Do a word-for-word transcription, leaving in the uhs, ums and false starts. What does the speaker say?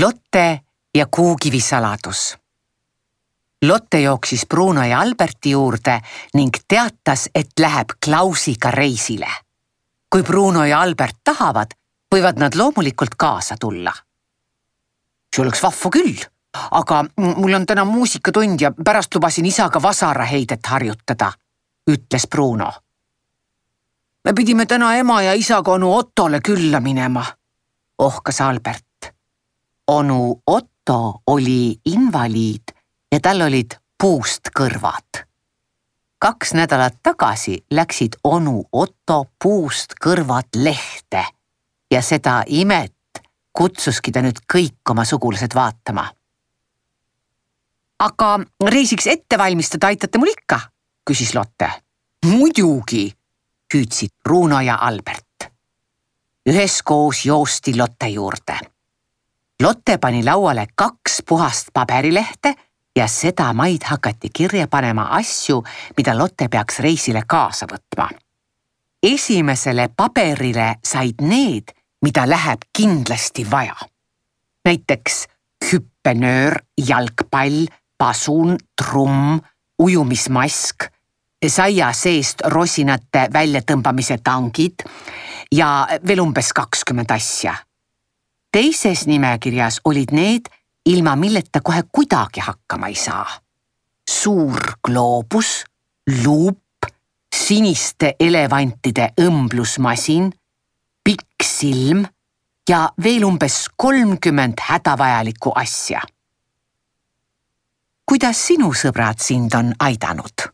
Lotte ja kuukivi saladus. Lotte jooksis Bruno ja Alberti juurde ning teatas, et läheb Klausiga reisile. Kui Bruno ja Albert tahavad, võivad nad loomulikult kaasa tulla. See oleks vahva küll, aga mul on täna muusikatund ja pärast lubasin isaga vasaraheidet harjutada, ütles Bruno. Me pidime täna ema ja isaga onu Ottole külla minema, ohkas Albert. Onu Otto oli invaliid ja tal olid puust kõrvad. Kaks nädalat tagasi läksid onu Otto puust kõrvad lehte ja seda imet kutsuski ta nüüd kõik oma sugulased vaatama. Aga reisiks ette valmistada aitate mul ikka, küsis Lotte. Muidugi, hüüdsid Bruno ja Albert. Üheskoos joosti Lotte juurde. Lotte pani lauale kaks puhast paberilehte ja seda maid hakati kirja panema asju, mida Lotte peaks reisile kaasa võtma. Esimesele paberile said need, mida läheb kindlasti vaja. Näiteks hüppenöör, jalgpall, pasun, trumm, ujumismask, saia seest rosinate väljatõmbamise tangid ja veel umbes kakskümmend asja. Teises nimekirjas olid need, ilma milleta kohe kuidagi hakkama ei saa. Suur gloobus, luup, siniste elevantide õmblusmasin, pikk silm ja veel umbes kolmkümmend hädavajalikku asja. Kuidas sinu sõbrad sind on aidanud?